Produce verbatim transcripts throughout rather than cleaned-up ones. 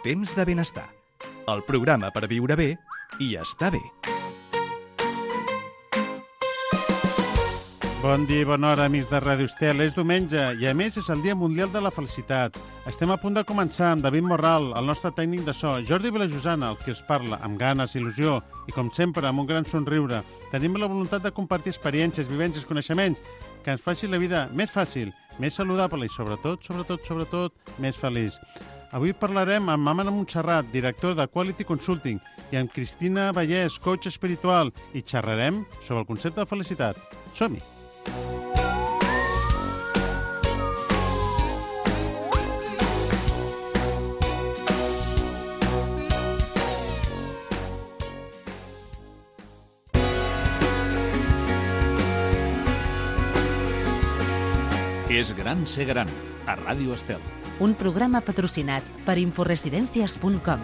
Temps de benestar, el programa per viure bé i estar bé. Bon dia i bona hora, amics de Ràdio Estel. És diumenge i, a més, és el Dia Mundial de la Felicitat. Estem a punt de començar amb David Morral, el nostre tècnic de so, Jordi Vilajosana, el que us parla, amb ganes, il·lusió i, com sempre, amb un gran somriure. Tenim la voluntat de compartir experiències, vivències, coneixements que ens facin la vida més fàcil, més saludable i, sobretot, sobretot, sobretot, més feliç. Avui parlarem amb Amana Montserrat, director de Quality Consulting, i amb Cristina Vallès, coach espiritual, i xerrarem sobre el concepte de felicitat. Som-hi! És gran ser gran, a Ràdio Estel. Un programa patrocinat per inforesidencias punt com.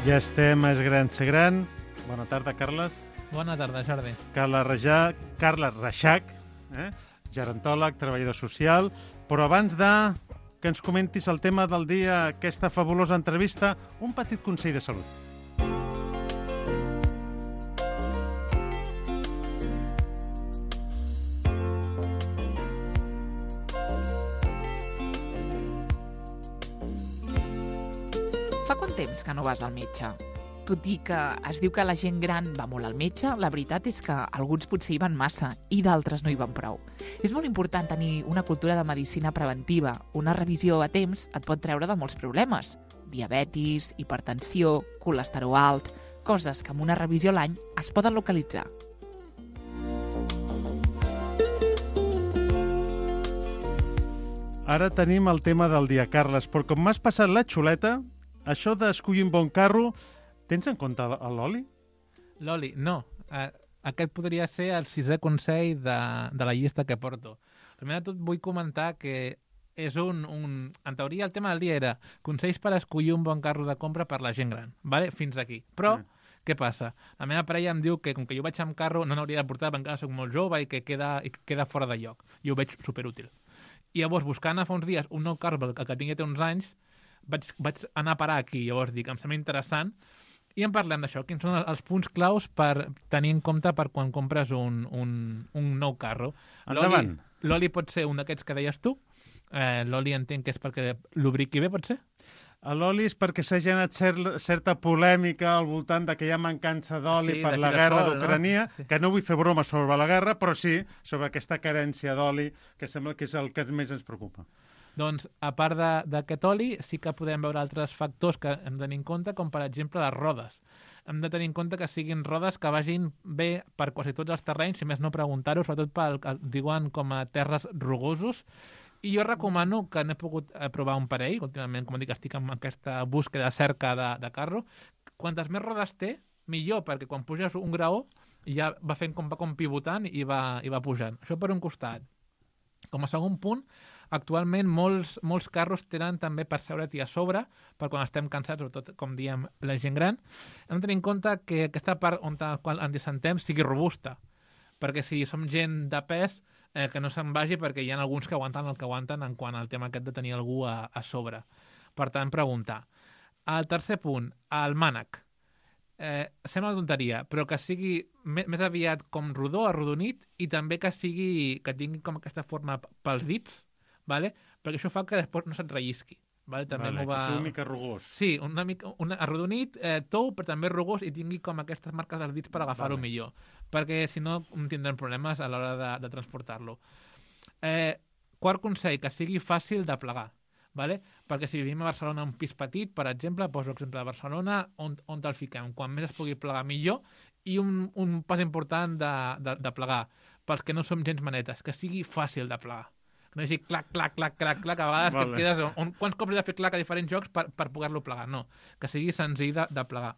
Ja estem a És gran ser gran. Bona tarda, Carles. Bona tarda, Jordi. Carles Reixac, Carles Reixac, eh? gerontòleg, treballador social. Però abans de que ens comentis el tema del dia, aquesta fabulosa entrevista, un petit consell de salut. Fa quant temps que no vas al metge? Tot i que es diu que la gent gran va molt al metge, la veritat és que alguns potser hi van massa i d'altres no hi van prou. És molt important tenir una cultura de medicina preventiva. Una revisió a temps et pot treure de molts problemes. Diabetis, hipertensió, colesterol alt, coses que amb una revisió a l'any es poden localitzar. Ara tenim el tema del dia, Carles, però com m'has passat la xuleta, això d'escollir un bon carro, tens en compte l'oli? L'oli, no. Eh, aquest podria ser el sisè consell de, de la llista que porto. Primer de tot vull comentar que és un, un... En teoria el tema del dia era consells per escollir un bon carro de compra per la gent gran. Vale? Fins aquí. Però, mm. què passa? La meva parella em diu que com que jo vaig amb carro no n'hauria de portar perquè encara soc molt jove i que queda, i queda fora de lloc. I ho veig superútil. I llavors, buscant fa uns dies un nou carro perquè el que tingui té uns anys, Vaig, vaig anar a parar aquí, llavors dic, em sembla interessant, i en parlem d'això, quins són els punts claus per tenir en compte per quan compres un, un, un nou carro. Endavant. L'oli pot ser un d'aquests que deies tu, eh, l'oli entenc que és perquè lubriqui bé, pot ser? L'oli és perquè s'ha generat cert, certa polèmica al voltant de que hi ha mancança d'oli sí, per la guerra d'Ucrània, no? Sí. Que no vull fer broma sobre la guerra, però sí sobre aquesta carència d'oli, que sembla que és el que més ens preocupa. Doncs, a part d'aquest oli, sí que podem veure altres factors que hem de tenir en compte, com per exemple les rodes. Hem de tenir en compte que siguin rodes que vagin bé per quasi tots els terrenys, si més no preguntar-ho, sobretot pel que diuen com a terres rugosos. I jo recomano, que n'he pogut provar un parell, últimament, com dic, estic en aquesta búsqueda cerca de, de carro, quantes més rodes té, millor, perquè quan puges un graó ja va fent com, va com pivotant i va, i va pujant. Això per un costat. Com a segon punt, actualment molts, molts carros tenen també per seure't a sobre, per quan estem cansats, sobretot, com diem, la gent gran. Hem de tenir en compte que aquesta part on ens assentem sigui robusta, perquè si som gent de pes, eh, que no se'n vagi, perquè hi ha alguns que aguanten el que aguanten en quant al tema aquest de tenir algú a, a sobre. Per tant, preguntar. El tercer punt, el mànec. Eh, sembla una tonteria, però que sigui més, més aviat com rodó, arrodonit, i també que sigui que tingui com aquesta forma pels dits, vale? Perquè això fa que després no se't rellisqui. Vale? També vale, va... que sigui una mica rugós. Sí, una mica un arrodonit, eh, tou, però també rugós, i tingui com aquestes marques dels dits per agafar-ho vale. Millor, perquè si no tindrem problemes a l'hora de, de transportar-lo. Eh, quart consell, que sigui fàcil de plegar. Vale? Perquè si vivim a Barcelona un pis petit, per exemple, poso l'exemple de Barcelona, on, on te'l fiquem? Quan més es pugui plegar millor, i un, un pas important de, de, de plegar, pels que no som gens manetes, que sigui fàcil de plegar. Que no sigui clac, clac, clac, clac, clac, a vegades vale. Que et quedes... On, quants cops he de fer clac a diferents jocs per, per poder-lo plegar? No, que sigui senzill de, de plegar.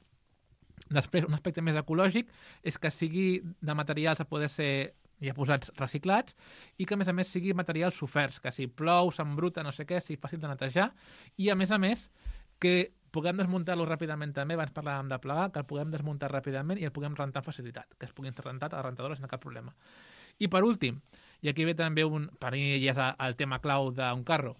Després, un aspecte més ecològic és que sigui de materials a poder ser ja posats reciclats, i que a més a més sigui materials soferts, que si plou, s'embruta, no sé què, sigui fàcil de netejar, i a més a més que puguem desmuntar-lo ràpidament també, abans parlàvem de plegar, que el puguem desmuntar ràpidament i el puguem rentar amb facilitat, que es puguin rentar a la rentadora sense cap problema. I per últim, I aquí ve també, un, per mi ja és el tema clau d'un carro,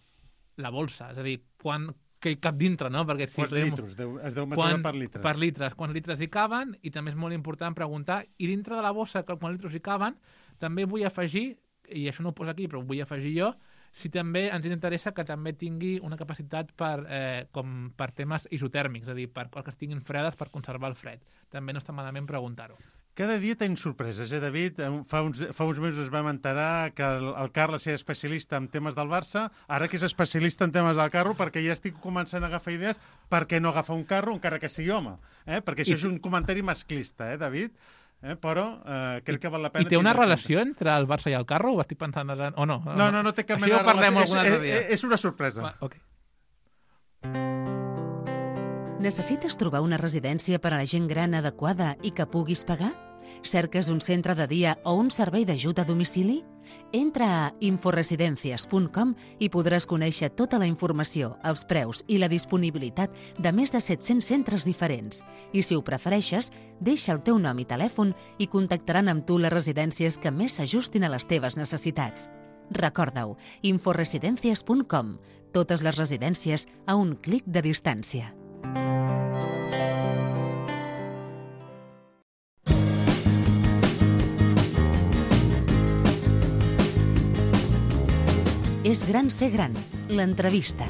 la bolsa, és a dir, quan, què hi cap dintre, no? Perquè si Quants podem- litres? Deu- Es deu mesurar quan, per litres. Per litres, quants litres hi caben, i també és molt important preguntar, i dintre de la bossa, que quants litres hi caben, també vull afegir, i això no ho poso aquí, però ho vull afegir jo, si també ens interessa que també tingui una capacitat per, eh, com per temes isotèrmics, és a dir, per coses que estiguin fredes per conservar el fred. També no està malament preguntar-ho. Cada dia tenim sorpreses, eh, David? Eh, Fa uns, fa uns mesos vam enterar que el, el Carles era especialista en temes del Barça, ara que és especialista en temes del carro, perquè ja estic començant a agafar idees per què no agafar un carro, encara que sigui home. Eh? Perquè això I- és un comentari masclista, eh, David? Eh? Però eh, crec que val la I pena... té una tindre en relació entre el Barça i el carro? Ho estic pensant ara... O no? compte. No, no, no té cap Això mena ja ho parlem relació. algun És, altre dia. és, és una sorpresa. Va, ok. Necessites trobar una residència per a la gent gran adequada i que puguis pagar? Cerques un centre de dia o un servei d'ajut a domicili? Entra a inforesidencias punt com i podràs conèixer tota la informació, els preus i la disponibilitat de més de set-cents centres diferents. I si ho prefereixes, deixa el teu nom i telèfon i contactaran amb tu les residències que més s'ajustin a les teves necessitats. Recorda-ho, inforesidencias punt com. Totes les residències a un clic de distància. És gran ser gran, l'entrevista.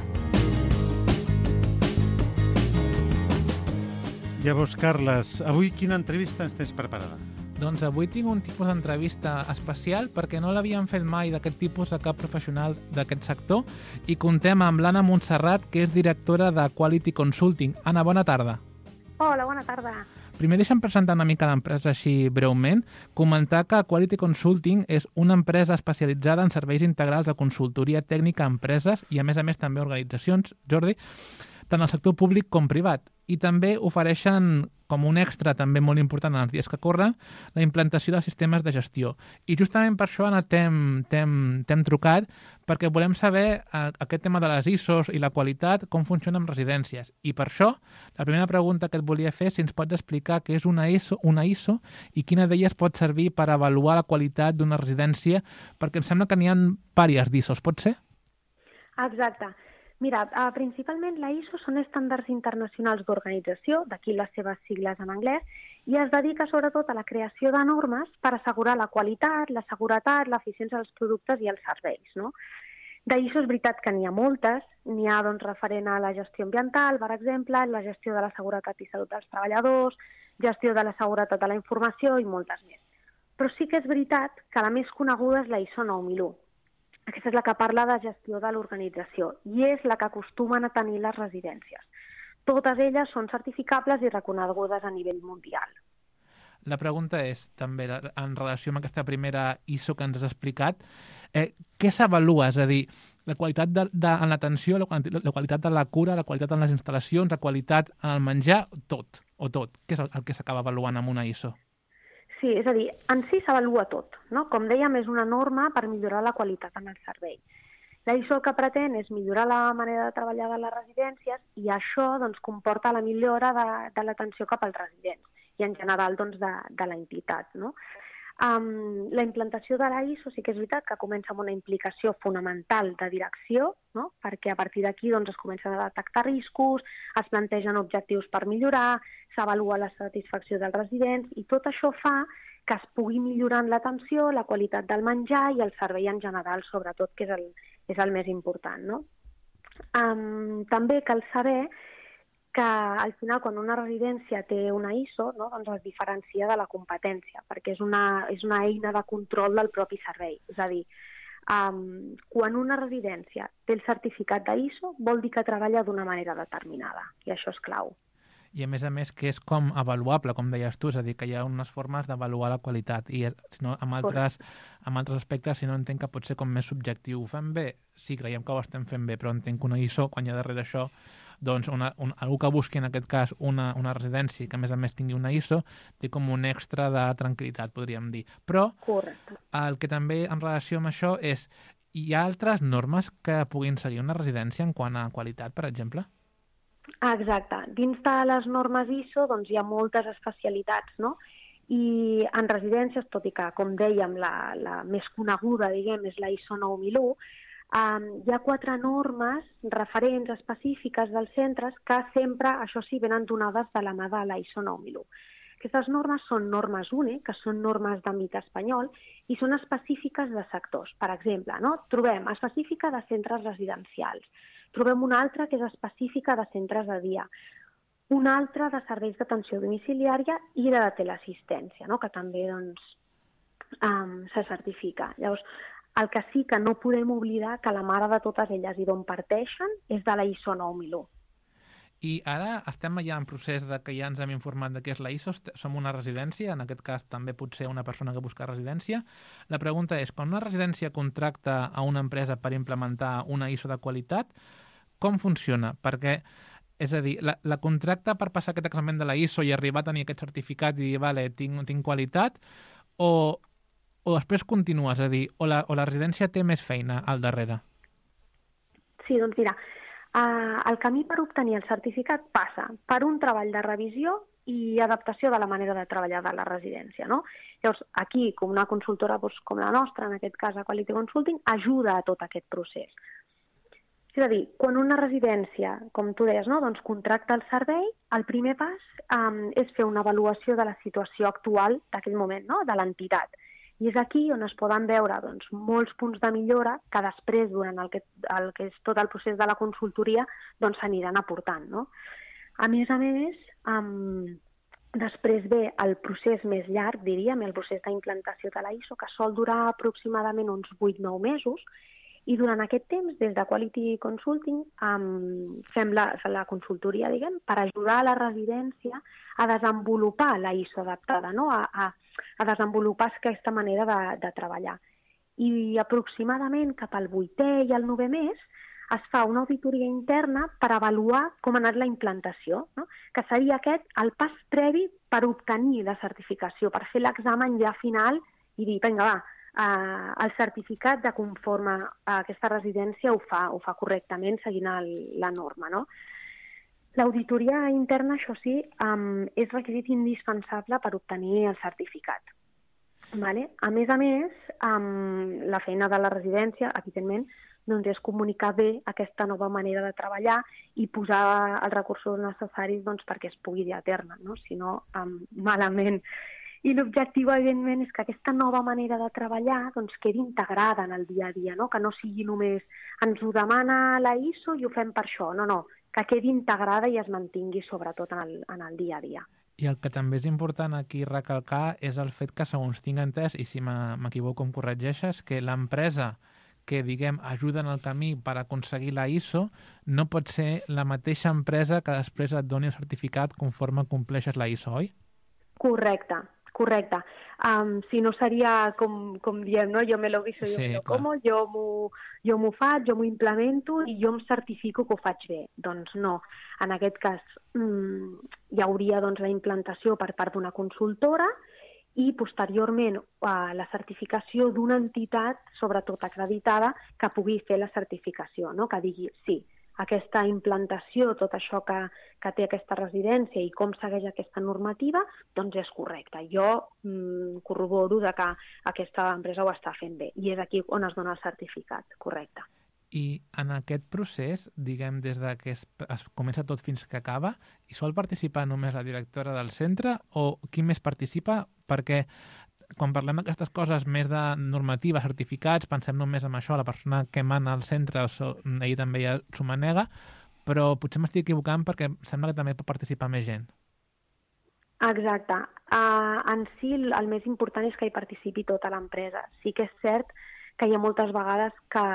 Llavors, Carles, avui quina entrevista ens tens preparada? Doncs avui tinc un tipus d'entrevista especial perquè no l'havíem fet mai d'aquest tipus a cap professional d'aquest sector i contem amb l'Anna Montserrat, que és directora de Quality Consulting. Anna, bona tarda. Hola, bona tarda. Primer deixa'm presentar una mica l'empresa així breument, comentar que Quality Consulting és una empresa especialitzada en serveis integrals de consultoria tècnica a empreses i, a més a més, també organitzacions, Jordi, tant al sector públic com privat. I també ofereixen, com un extra també molt important en els dies que corren, la implantació de sistemes de gestió. I justament per això, Anna, t'hem t'hem- t'hem trucat, perquè volem saber eh, aquest tema de les I S Os i la qualitat, com funciona amb residències. I per això, la primera pregunta que et volia fer és si ens pots explicar què és una I S O, una I S O i quina d'elles pot servir per avaluar la qualitat d'una residència, perquè em sembla que n'hi ha diverses d'I S Os, pot ser? Exacte. Mira, uh, principalment la I S O són estàndards internacionals d'organització, d'aquí les seves sigles en anglès, i es dedica sobretot a la creació de normes per assegurar la qualitat, la seguretat, l'eficiència dels productes i els serveis, no? De I S O és veritat que n'hi ha moltes, n'hi ha doncs, referent a la gestió ambiental, per exemple, la gestió de la seguretat i salut dels treballadors, gestió de la seguretat de la informació i moltes més. Però sí que és veritat que la més coneguda és la I S O nou mil u. Aquesta és la que parla de gestió de l'organització i és la que acostumen a tenir les residències. Totes elles són certificables i reconegudes a nivell mundial. La pregunta és, també, en relació amb aquesta primera I S O que ens has explicat, eh, què s'avalua? És a dir, la qualitat de, de, en l'atenció, la, quali- la qualitat de la cura, la qualitat en les instal·lacions, la qualitat en el menjar, tot, o tot. Què és el, el que s'acaba avaluant amb una I S O? Sí, és a dir, en si s'avalua tot, no? Com dèiem, és una norma per millorar la qualitat en el servei. La I S O el que pretén és millorar la manera de treballar de les residències i això doncs, comporta la millora de, de l'atenció cap als residents i en general doncs, de, de la entitat, no? Um, la implantació de la I S O sí que és veritat que comença amb una implicació fonamental de direcció, no? Perquè a partir d'aquí doncs, es comencen a detectar riscos, es plantegen objectius per millorar, s'avalua la satisfacció dels residents i tot això fa que es pugui millorar en l'atenció, la qualitat del menjar i el servei en general, sobretot, que és el, és el més important, no? Um, també cal saber que al final quan una residència té una I S O no, doncs es diferencia de la competència, perquè és una, és una eina de control del propi servei. És a dir, um, quan una residència té el certificat de I S O vol dir que treballa d'una manera determinada, i això és clau. I a més a més que és com avaluable, com deies tu, és a dir, que hi ha unes formes d'avaluar la qualitat i si no, amb, altres, amb altres aspectes, si no entenc que pot ser com més subjectiu. Ho fem bé? Sí, creiem que ho estem fent bé, però entenc que una I S O, quan hi ha darrere això, doncs una, un, algú que busqui en aquest cas una, una residència que a més a més tingui una I S O, té com un extra de tranquil·litat, podríem dir. Però Correcte. el que també en relació amb això és, hi ha altres normes que puguin seguir una residència en quant a qualitat, per exemple? Exacte. Dins de les normes I S O doncs, hi ha moltes especialitats, no? I en residències, tot i que, com dèiem, la, la més coneguda, diguem, és la I S O nou mil u, um, hi ha quatre normes referents específiques dels centres que sempre, això sí, venen donades de la mà de la I S O nou mil u. Aquestes normes són normes U N E, que són normes d'àmbit espanyol, i són específiques de sectors. Per exemple, no? Trobem específica de centres residencials, trobem una altra que és específica de centres de dia, una altra de serveis d'atenció domiciliària i de teleassistència, no? Que també doncs, um, se certifica. Llavors, el que sí que no podem oblidar que la mare de totes elles i d'on parteixen és de la I S O nou mil u. I ara estem ja en procés de que ja ens hem informat de què és la I S O, som una residència, en aquest cas també pot ser una persona que busca residència. La pregunta és, quan una residència contracta a una empresa per implementar una I S O de qualitat, com funciona? Perquè és a dir, la, la contracta per passar aquest examen de la I S O i arribar a tenir aquest certificat i dir, vale, tinc, tinc qualitat, o, o després continua, és a dir, o la, o la residència té més feina al darrere? Sí, doncs mira, uh, el camí per obtenir el certificat passa per un treball de revisió i adaptació de la manera de treballar de la residència, no? Llavors, aquí, com una consultora doncs, com la nostra, en aquest cas a Quality Consulting, ajuda a tot aquest procés. És a dir, quan una residència, com tu deies, no? doncs contracta el servei, el primer pas um, és fer una avaluació de la situació actual d'aquell moment, no? de l'entitat. I és aquí on es poden veure doncs, molts punts de millora que després, durant el que, el que és tot el procés de la consultoria, doncs s'aniran aportant. No? A més a més, um, després ve el procés més llarg, diríem, el procés d'implantació de la I S O, que sol durar aproximadament uns vuit a nou mesos, i durant aquest temps, des de Quality Consulting, um, fem la, la consultoria, diguem, per ajudar a la residència a desenvolupar la I S O adaptada, no? a, a, a desenvolupar aquesta manera de, de treballar. I aproximadament cap al vuitè i al novè mes es fa una auditoria interna per avaluar com ha anat la implantació, no? Que seria aquest el pas previ per obtenir la certificació, per fer l'examen ja final i dir, vinga, va, Uh, el certificat de conforme a aquesta residència ho fa, ho fa correctament seguint el, la norma. No? L'auditoria interna, això sí, um, és requisit indispensable per obtenir el certificat. Vale? A més a més, um, la feina de la residència, evidentment, doncs és comunicar bé aquesta nova manera de treballar i posar els recursos necessaris doncs, perquè es pugui dur a terme, no? Si no, um, malament. I l'objectiu, evidentment, és que aquesta nova manera de treballar doncs, quedi integrada en el dia a dia, no? Que no sigui només ens ho demana la I S O i ho fem per això, no, no, que quedi integrada i es mantingui sobretot en el, en el dia a dia. I el que també és important aquí recalcar és el fet que, segons tinc entès, i si m'equivoco em corregeixes, que l'empresa que, diguem, ajuda en el camí per aconseguir la I S O no pot ser la mateixa empresa que després et doni el certificat conforme compleixes la I S O, oi? Correcte. Correcte. Um, si no seria com, com diem, no? Jo me lo guiso, jo sí, me lo como, jo m'ho jo m'ho faig, jo m'ho implemento i jo em certifico que ho faig bé. Doncs no. En aquest cas mm, hi hauria doncs, la implantació per part d'una consultora i posteriorment uh, la certificació d'una entitat, sobretot acreditada, que pugui fer la certificació, no? Que digui sí, aquesta implantació, tot això que, que té aquesta residència i com segueix aquesta normativa, doncs és correcte. Jo mm, corroboro de que aquesta empresa ho està fent bé i és aquí on es dona el certificat, correcte. I en aquest procés, diguem, des de que es, es comença tot fins que acaba, hi sol participar només la directora del centre o qui més participa? Perquè quan parlem d'aquestes coses més de normativa, certificats, pensem només en això, la persona que mana al centre, so, ell també ja s'ho manega, però potser m'estic equivocant perquè sembla que també pot participar més gent. Exacte. Uh, en si el, el més important és que hi participi tota l'empresa. Sí que és cert que hi ha moltes vegades que,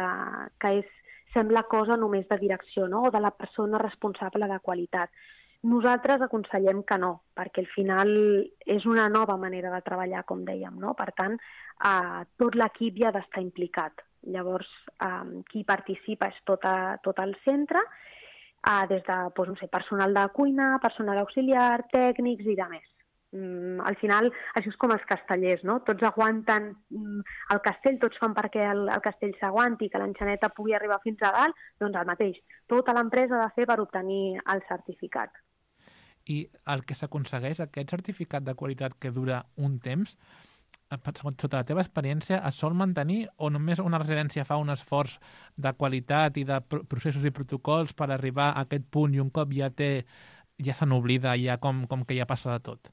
que és, sembla cosa només de direcció, no? O de la persona responsable de qualitat. Nosaltres aconsellem que no, perquè al final és una nova manera de treballar, com dèiem, no? Per tant, eh, tot l'equip hi ha d'estar implicat. Llavors, eh, qui participa és tot, a, tot el centre, eh, des de doncs, no sé, personal de cuina, personal auxiliar, tècnics i de més. Mm, al final, això és com els castellers, no? Tots aguanten mm, el castell, tots fan perquè el, el castell s'aguanti, que l'enxaneta pugui arribar fins a dalt, doncs el mateix. Tota l'empresa ha de fer per obtenir el certificat. i el que s'aconsegueix, aquest certificat de qualitat que dura un temps, sota la teva experiència, es sol mantenir o només una residència fa un esforç de qualitat i de processos i protocols per arribar a aquest punt i un cop ja té, ja se n'oblida, ja com, com que ja passa de tot?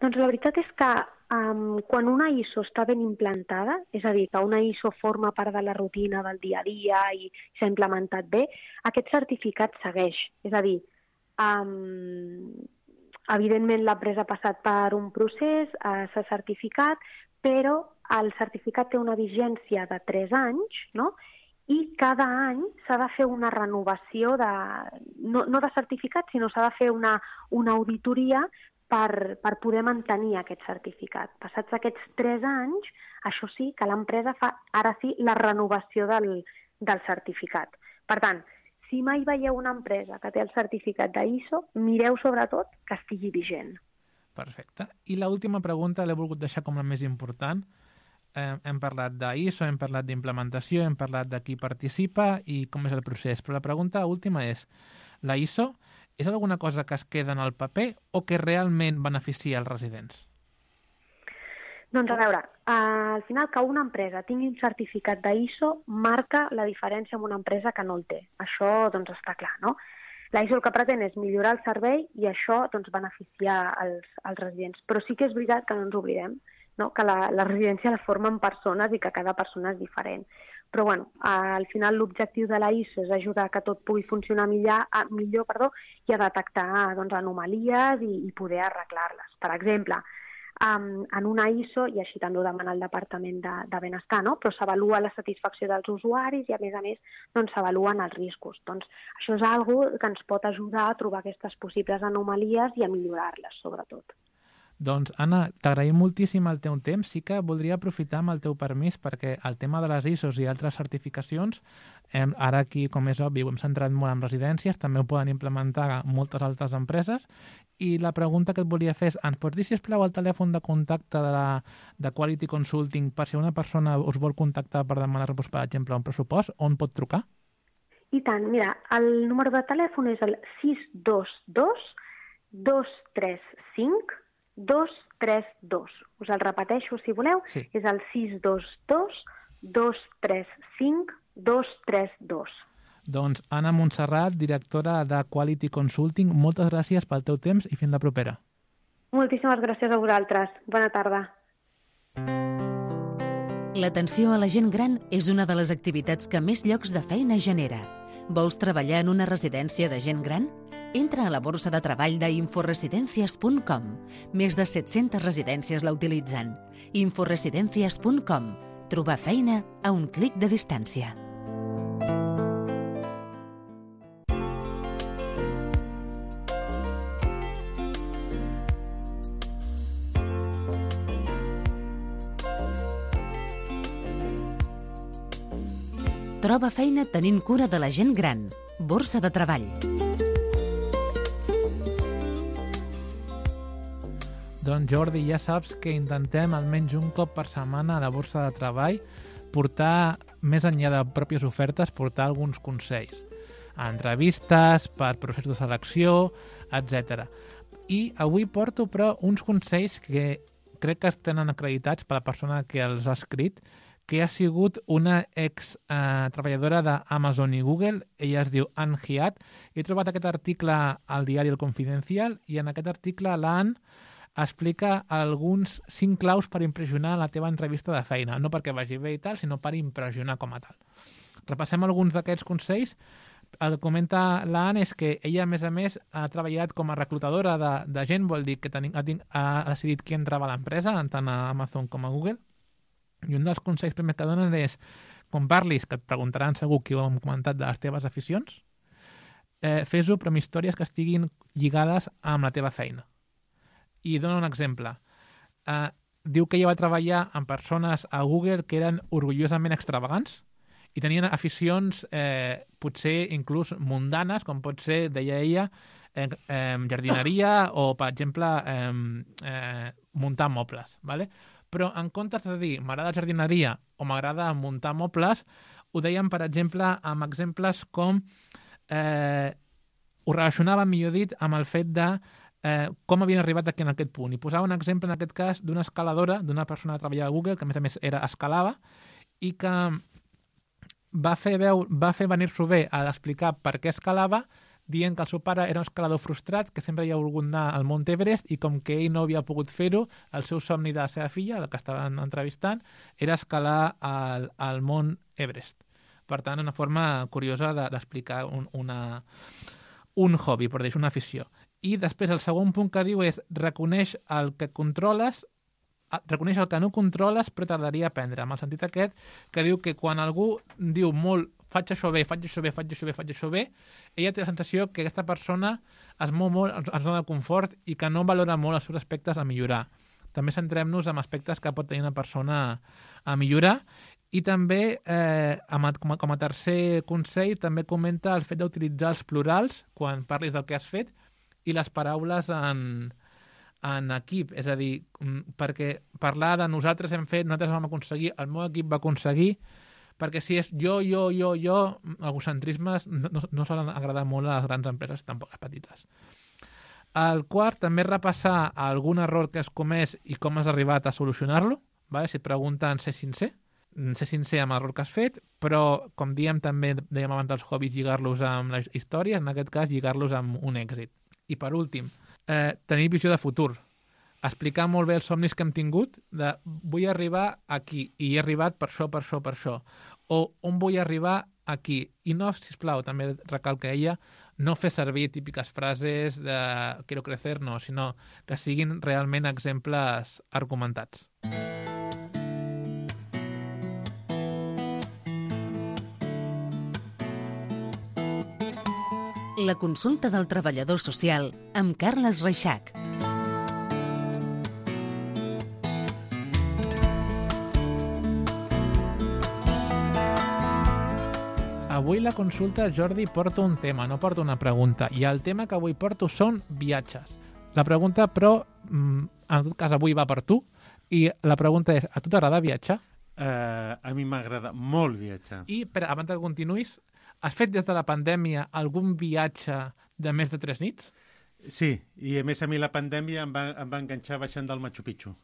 Doncs la veritat és que um, quan una I S O està ben implantada, és a dir, que una I S O forma part de la rutina del dia a dia i s'ha implementat bé, aquest certificat segueix. És a dir, um, evidentment l'empresa ha passat per un procés, eh, s'ha certificat, però el certificat té una vigència de tres anys, no? I cada any s'ha de fer una renovació, de, no, no de certificat, sinó s'ha de fer una, una auditoria per, per poder mantenir aquest certificat. Passats aquests tres anys, això sí, que l'empresa fa ara sí la renovació del, del certificat. Per tant, si mai veieu una empresa que té el certificat d'I S O, mireu sobretot que estigui vigent. Perfecte. I l'última pregunta l'he volgut deixar com la més important. Eh, hem parlat d'I S O, hem parlat d'implementació, hem parlat de qui participa i com és el procés. Però la pregunta última és, la I S O és alguna cosa que es queda en el paper o que realment beneficia els residents? Doncs a veure, eh, al final que una empresa tingui un certificat d'I S O marca la diferència amb una empresa que no el té. Això doncs està clar, no? La I S O el que pretén és millorar el servei i això doncs beneficiar els, els residents. Però sí que és veritat que no ens oblidem, no? Que la, la residència la formen persones i que cada persona és diferent. Però bueno, al final l'objectiu de la I S O és ajudar que tot pugui funcionar millor, millor perdó, i a detectar doncs, anomalies i, i poder arreglar-les. Per exemple, Um, en una I S O, i així també ho demana el Departament de, de Benestar, no? Però s'avalua la satisfacció dels usuaris i, a més a més, doncs, s'avaluen els riscos. Doncs això és una cosa que ens pot ajudar a trobar aquestes possibles anomalies i a millorar-les, sobretot. Doncs, Anna, t'agraïm moltíssim el teu temps. Sí que voldria aprofitar amb el teu permís perquè el tema de les I S Os i altres certificacions, eh, ara aquí, com és obvi, ho hem centrat molt en residències, també ho poden implementar moltes altres empreses, i la pregunta que et volia fer és, ens pots dir, sisplau, el telèfon de contacte de, la, de Quality Consulting per si una persona us vol contactar per demanar-vos, per exemple, un pressupost, on pot trucar? I tant, mira, el número de telèfon és el sis dos dos dos tres cinc dos tres dos. Us el repeteixo, si voleu. Sí. És el sis dos dos dos tres cinc dos tres dos. Doncs Anna Montserrat, directora de Quality Consulting, moltes gràcies pel teu temps i fins la propera. Moltíssimes gràcies a vosaltres. Bona tarda. L'atenció a la gent gran és una de les activitats que més llocs de feina genera. Vols treballar en una residència de gent gran? Entra a la borsa de treball d'inforesidencias punt com. Més de set-centes residències la utilitzen. inforesidencias punt com. Trobar feina a un clic de distància. Troba feina tenint cura de la gent gran. Borsa de treball. Doncs Jordi, ja saps que intentem almenys un cop per setmana a la borsa de treball portar, més enllà de pròpies ofertes, portar alguns consells. Entrevistes, per processos de selecció, etcètera. I avui porto, però, uns consells que crec que tenen acreditats per la persona que els ha escrit, que ha sigut una ex eh, treballadora d'Amazon i Google. Ella es diu Anne Hiat. He trobat aquest article al diari El Confidencial i en aquest article l'Anne explica alguns cinc claus per impressionar la teva entrevista de feina. No perquè vagi bé i tal, sinó per impressionar com a tal. Repassem alguns d'aquests consells. El que comenta l'Anne és que ella, a més a més, ha treballat com a reclutadora de, de gent, vol dir que tenim, ha, ha decidit qui entrava a l'empresa, tant a Amazon com a Google. I un dels consells primers que donen és, quan parlis, que et preguntaran segur qui ho hem comentat de les teves aficions, eh, fes-ho però amb històries que estiguin lligades amb la teva feina. I dona un exemple. Eh, diu que ella va treballar amb persones a Google que eren orgullosament extravagants i tenien aficions eh, potser inclús mundanes, com pot ser, deia ella, eh, eh, jardineria o, per exemple, eh, eh, muntar mobles. ¿vale? Però en comptes de dir m'agrada jardineria o m'agrada muntar mobles, ho deien, per exemple, amb exemples com eh, ho relacionava, millor dit, amb el fet de eh, com havien arribat aquí en aquest punt. I posava un exemple, en aquest cas, d'una escaladora, d'una persona que treballava a Google, que a més a més era escalava, i que va fer, veu, va fer venir-s'ho bé a explicar per què escalava, dient que el seu pare era un escalador frustrat, que sempre havia volgut anar al Mont Everest, i com que ell no havia pogut fer-ho, el seu somni de la seva filla, la que estaven entrevistant, era escalar al, al Mont Everest. Per tant, una forma curiosa d'explicar un, una, un hobby, per dir, una afició. I després el segon punt que diu és reconeix el que controles, reconeix el que no controles però tardaria a aprendre, amb el sentit aquest que diu que quan algú diu molt faig això bé, faig això bé, faig això bé, faig això bé, ella té la sensació que aquesta persona es mou molt en zona de confort i que no valora molt els seus aspectes a millorar. També centrem-nos en aspectes que pot tenir una persona a millorar i també, eh, com, a, com a tercer consell, també comenta el fet d'utilitzar els plurals quan parlis del que has fet i les paraules en, en equip. És a dir, perquè parlar de nosaltres hem fet, nosaltres vam aconseguir, el meu equip va aconseguir, perquè si és jo, jo, jo, jo, egocentrismes no, no, no solen agradar molt a les grans empreses, tampoc a les petites. El quart, també repassar algun error que has comès i com has arribat a solucionar-lo. Vale? Si et pregunten, ser sincer, ser sincer amb l'error que has fet, però, com diem també, dèiem abans dels hobbies, lligar-los amb les històries, en aquest cas, lligar-los amb un èxit. I per últim, eh, tenir visió de futur. Explicar molt bé els somnis que hem tingut, de vull arribar aquí, i he arribat per això, per això, per això. O on vull arribar aquí. I no, sisplau, també recalca ella, no fer servir típiques frases de quiero crecer, no, sinó que siguin realment exemples argumentats. La consulta del treballador social amb Carles Reixac. Avui la consulta, Jordi, porta un tema, no porta una pregunta. I el tema que avui porto són viatges. La pregunta, però, en tot cas, avui va per tu. I la pregunta és, a tu t'agrada viatjar? Uh, a mi m'agrada molt viatjar. I, per, abans que continuïs, has fet des de la pandèmia algun viatge de més de tres nits? Sí, i a més a mi la pandèmia em va, em va enganxar baixant del Machu Picchu.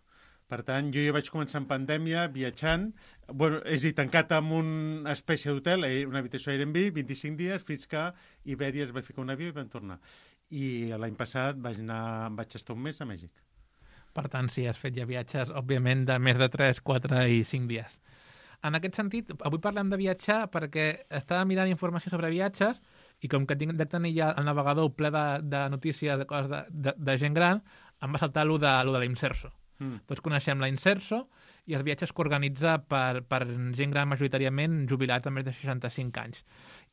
Per tant, jo ja vaig començar en pandèmia, viatjant, bueno, és a dir, tancat en una espècie d'hotel, una habitació Airbnb, vint-i-cinc dies, fins que Ibèria es va ficar un avió i vam tornar. I l'any passat vaig anar, vaig estar un mes a Mèxic. Per tant, sí, has fet ja viatges, òbviament, de més de tres, quatre i cinc dies. En aquest sentit, avui parlem de viatjar perquè estava mirant informació sobre viatges i com que tinc de tenir ja el navegador ple de, de notícies de coses de, de, de gent gran, em va saltar allò de, allò de l'Inserso. Mm. Tots coneixem la Inserso i els viatges que organitza per, per gent gran majoritàriament jubilat a més de seixanta-cinc anys.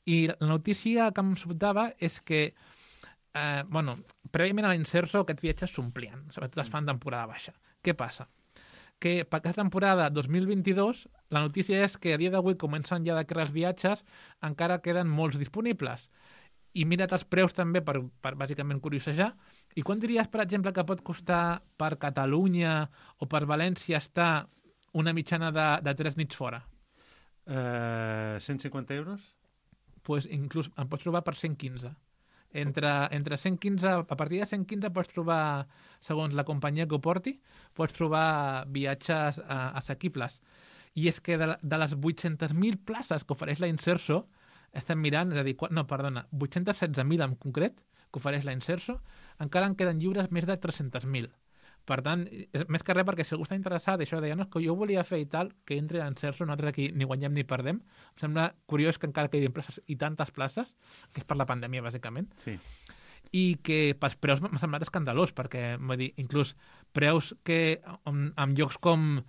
I la notícia que em sobtava és que eh, bueno, prèviament a la Inserso aquests viatges s'omplien, sobretot es fan temporada baixa. Què passa? Que per aquesta temporada dos mil vint-i-dos la notícia és que a dia d'avui comencen ja de crear els viatges, encara queden molts disponibles. I mira't els preus també per, per bàsicament curiosejar. I quan diries, per exemple, que pot costar per Catalunya o per València estar una mitjana de, de tres nits fora? Uh, cent cinquanta euros? Pues inclús em pots trobar per cent quinze. Entre, entre cent quinze, a partir de cent quinze pots trobar, segons la companyia que ho porti, pots trobar viatges uh, assequibles. I és que de, de les vuit-centes mil places que ofereix la Inserso, estem mirant, és a dir, no, perdona, vuit-cents setze mil en concret, que ofereix la Inserso, encara en queden lliures més de tres-cents mil. Per tant, és, més que res perquè si algú està interessat, això deia, no, que jo volia fer i tal, que entri a l'Inserso, nosaltres aquí ni guanyem ni perdem. Em sembla curiós que encara quedin places i tantes places, que és per la pandèmia, bàsicament. Sí. I que pels preus m'ha semblat escandalós, perquè, vull dir, inclús preus que en, en llocs com,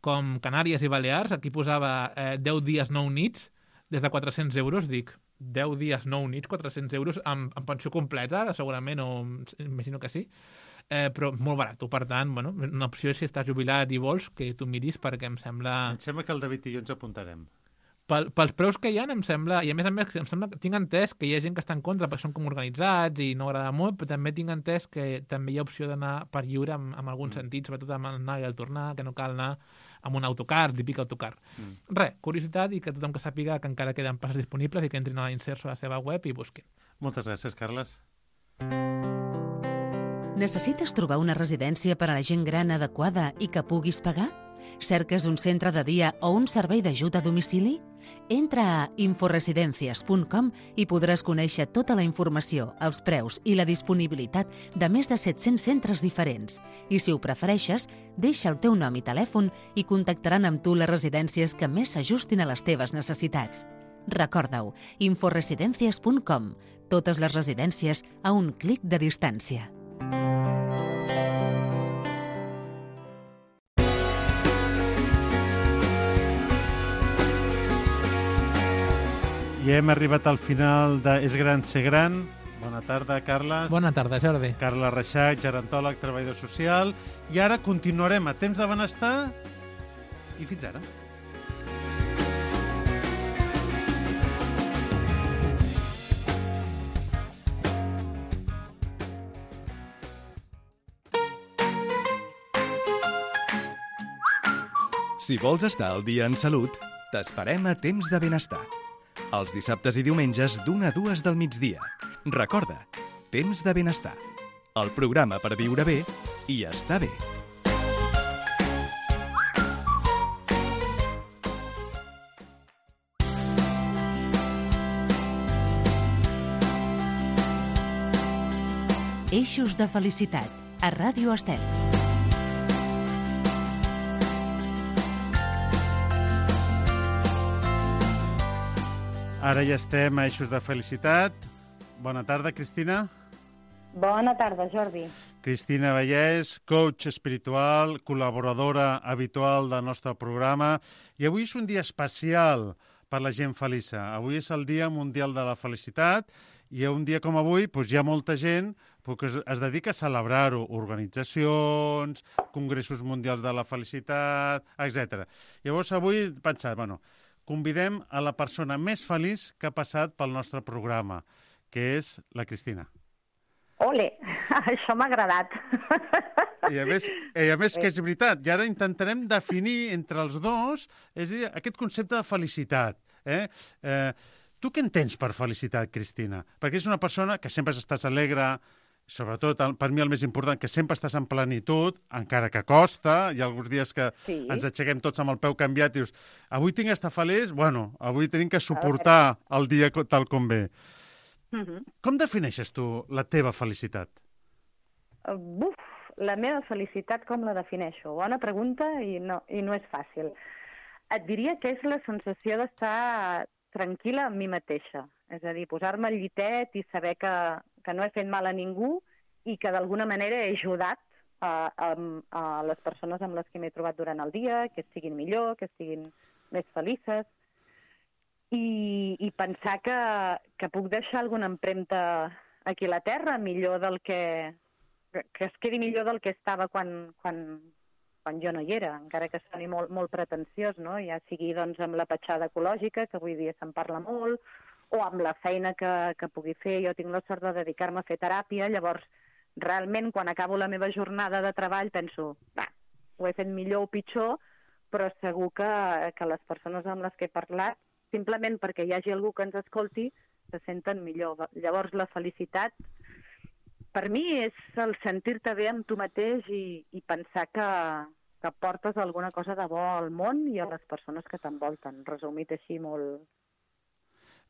com Canàries i Balears, aquí posava eh, deu dies, nou nits, des de quatre-cents euros, dic, deu dies, nou nits, quatre-cents euros, amb, amb pensió completa, segurament, o imagino que sí, eh, però molt barat. Per tant, bueno, una opció és si estàs jubilat i vols que tu miris, perquè em sembla... Em sembla que el David i jo ens apuntarem. Pel, pels preus que hi ha, em sembla, i a més a més, em sembla, tinc entès que hi ha gent que està en contra perquè són com organitzats i no agrada molt, però també tinc entès que també hi ha opció d'anar per lliure en, en algun mm. sentit, sobretot amb anar i el tornar, que no cal anar amb un autocar, típic autocar. Mm. Res, curiositat i que tothom que sàpiga que encara queden places disponibles i que entrin a la Inserso a la seva web i busquin. Moltes gràcies, Carles. Necessites trobar una residència per a la gent gran adequada i que puguis pagar? Cerques un centre de dia o un servei d'ajut a domicili? Entra a inforesidencias punt com i podràs conèixer tota la informació, els preus i la disponibilitat de més de set-cents centres diferents. I si ho prefereixes, deixa el teu nom i telèfon i contactaran amb tu les residències que més s'ajustin a les teves necessitats. Recorda-ho, inforesidencias punt com. Totes les residències a un clic de distància. I hem arribat al final de És gran ser gran. Bona tarda, Carles. Bona tarda, Jordi. Carles Reixac, gerontòleg, treballador social. I ara continuarem a Temps de Benestar i fins ara. Si vols estar al dia en salut, t'esperem a Temps de Benestar. Els dissabtes i diumenges d'una a dues del migdia. Recorda, Temps de Benestar. El programa per viure bé i estar bé. Eixos de felicitat, a Ràdio Estel. Ara ja estem a Eixos de Felicitat. Bona tarda, Cristina. Bona tarda, Jordi. Cristina Vallès, coach espiritual, col·laboradora habitual del nostre programa. I avui és un dia especial per la gent feliça. Avui és el Dia Mundial de la Felicitat i un dia com avui doncs, hi ha molta gent que es, es dedica a celebrar-ho. Organitzacions, congressos mundials de la felicitat, etcètera. Llavors avui he pensat, bueno, convidem a la persona més feliç que ha passat pel nostre programa, que és la Cristina. Ole, això m'ha agradat. I a més, i a més que és veritat, i ara intentarem definir entre els dos, és a dir, aquest concepte de felicitat. Eh? Eh, tu què entens per felicitat, Cristina? Perquè és una persona que sempre estàs alegre, sobretot, per mi el més important, que sempre estàs en plenitud, encara que costa. Hi ha alguns dies que sí. ens aixequem tots amb el peu canviat i dius, avui tinc d'estar feliç? Bueno, avui tenim que suportar el dia tal com ve. Uh-huh. Com defineixes tu la teva felicitat? Uh, buf, la meva felicitat com la defineixo? Bona pregunta i no, i no és fàcil. Et diria que és la sensació d'estar tranquil·la amb mi mateixa. És a dir, posar-me al llitet i saber que, que no he fet mal a ningú i que d'alguna manera he ajudat a, a, a les persones amb les que m'he trobat durant el dia, que estiguin millor, que estiguin més felices. I, i pensar que, que puc deixar alguna empremta aquí a la Terra millor del que... que es quedi millor del que estava quan, quan, quan jo no hi era, encara que soni molt, molt pretensiós, no? Ja sigui doncs, amb la petjada ecològica, que avui dia se'n parla molt, o amb la feina que, que pugui fer. Jo tinc la sort de dedicar-me a fer teràpia, llavors realment quan acabo la meva jornada de treball penso, va, ho he fet millor o pitjor, però segur que, que les persones amb les que he parlat, simplement perquè hi hagi algú que ens escolti, se senten millor. Llavors la felicitat, per mi, és el sentir-te bé amb tu mateix i, i pensar que, que portes alguna cosa de bo al món i a les persones que t'envolten, resumit així molt,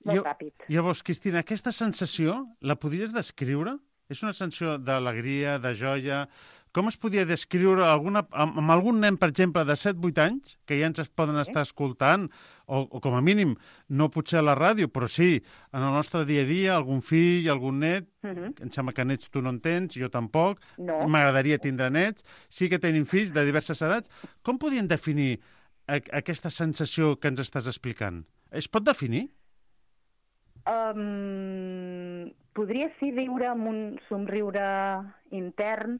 molt jo, ràpid. Llavors, Cristina, aquesta sensació la podries descriure? És una sensació d'alegria, de joia... Com es podria descriure alguna, amb, amb algun nen, per exemple, de set vuit anys, que ja ens es poden estar escoltant, o, o com a mínim, no potser a la ràdio, però sí, en el nostre dia a dia, algun fill, algun net, uh-huh. em sembla que nets tu no en tens, jo tampoc, no. M'agradaria tindre nets, sí que tenim fills de diverses edats. Com podien definir a, aquesta sensació que ens estàs explicant? Es pot definir? Um, podria sí viure amb un somriure intern,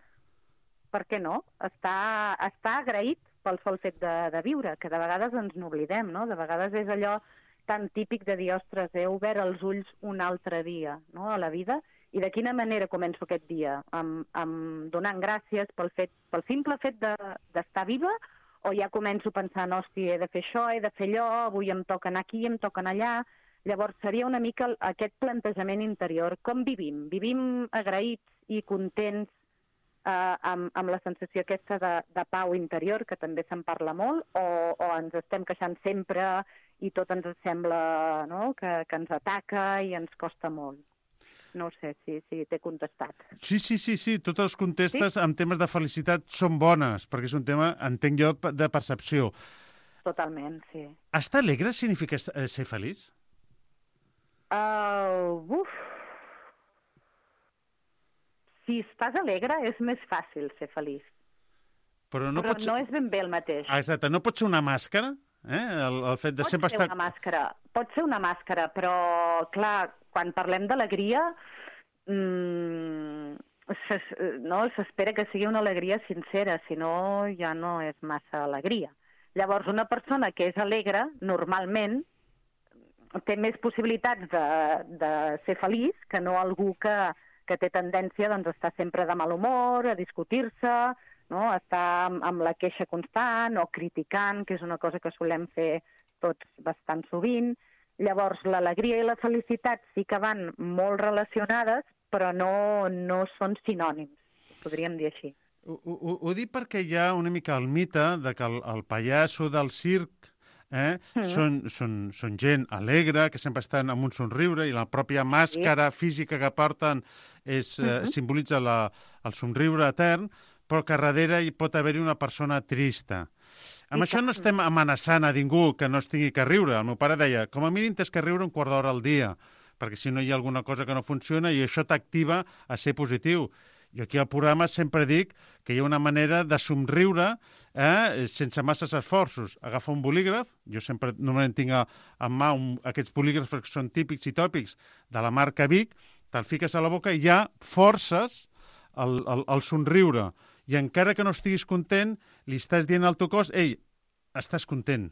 per què no? Està, està agraït pel sol fet de, de viure, que de vegades ens n'oblidem, no? De vegades és allò tan típic de dir, ostres, he obert els ulls un altre dia, no?, a la vida, i de quina manera començo aquest dia? Amb, amb donant gràcies pel, fet, pel simple fet d'estar de, viva, o ja començo pensant, hòstia, he de fer això, he de fer allò, avui em toca anar aquí, em toca anar allà... Llavors, seria una mica aquest plantejament interior. Com vivim? Vivim agraïts i contents eh, amb, amb la sensació aquesta de, de pau interior, que també se'n parla molt, o, o ens estem queixant sempre i tot ens sembla, no?, que, que ens ataca i ens costa molt. No sé si, si t'he contestat. Sí, sí, sí, sí. Totes les contestes Sí? en temes de felicitat són bones, perquè és un tema, entenc jo, de percepció. Totalment, sí. Estar alegre significa eh, ser feliç? Uh, uf. Si estàs alegre és més fàcil ser feliç. Però no, Però pot ser... no és ben bé el mateix. Ah, exacte, no pot ser una màscara? Eh? El, el fet de Pot sempre ser estar... una màscara, pot ser una màscara, però, clar, quan parlem d'alegria, mmm, s'es- no, s'espera que sigui una alegria sincera, si no ja no és massa alegria. Llavors, una persona que és alegre, normalment, té més possibilitats de, de ser feliç que no algú que, que té tendència doncs, a estar sempre de mal humor, a discutir-se, no? A estar amb, amb la queixa constant o criticant, que és una cosa que solem fer tots bastant sovint. Llavors, l'alegria i la felicitat sí que van molt relacionades, però no, no són sinònims, podríem dir així. Ho, ho, ho dic perquè hi ha una mica el mite de que el, el pallasso del circ eh, mm. són, són, són gent alegre, que sempre estan amb un somriure, i la pròpia màscara sí. física que porten és, eh, mm-hmm. simbolitza la, el somriure etern, però que darrere hi pot haver-hi una persona trista. Amb I això no estem amenaçant a ningú que no es tingui que riure. El meu pare deia, com a mínim tens que riure un quart d'hora al dia, perquè si no hi ha alguna cosa que no funciona i això t'activa a ser positiu. Jo aquí al programa sempre dic que hi ha una manera de somriure eh, sense masses esforços. Agafa un bolígraf, jo sempre normalment tinc a, en mà un, aquests bolígrafs que són típics i tòpics de la marca Vic, te'l fiques a la boca i ja forces el, el, el somriure. I encara que no estiguis content, li estàs dient al teu cos, ei, estàs content.